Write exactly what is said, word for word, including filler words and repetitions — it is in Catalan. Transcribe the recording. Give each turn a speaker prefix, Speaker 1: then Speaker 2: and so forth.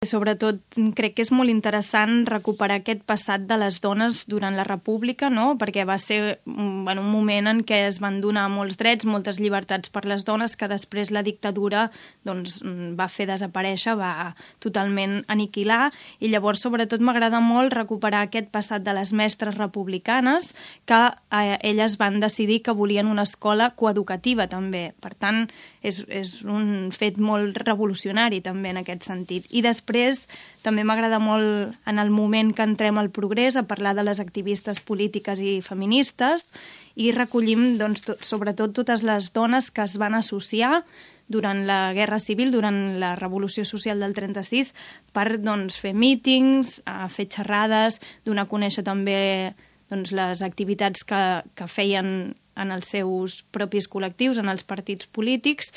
Speaker 1: Sobretot crec que és molt interessant recuperar aquest passat de les dones durant la República, no? Perquè va ser bueno, un moment en què es van donar molts drets, moltes llibertats per les dones, que després la dictadura doncs, va fer desaparèixer, va totalment aniquilar, i llavors sobretot m'agrada molt recuperar aquest passat de les mestres republicanes, que eh, elles van decidir que volien una escola coeducativa també. Per tant, és, és un fet molt revolucionari també en aquest sentit. I després Després, també m'agrada molt en el moment que entrem al progrés a parlar de les activistes polítiques i feministes i recollim doncs, tot, sobretot totes les dones que es van associar durant la Guerra Civil, durant la Revolució Social del trenta-sis, per doncs, fer mítings, fer xerrades, donar a conèixer també doncs, les activitats que, que feien en els seus propis col·lectius, en els partits polítics,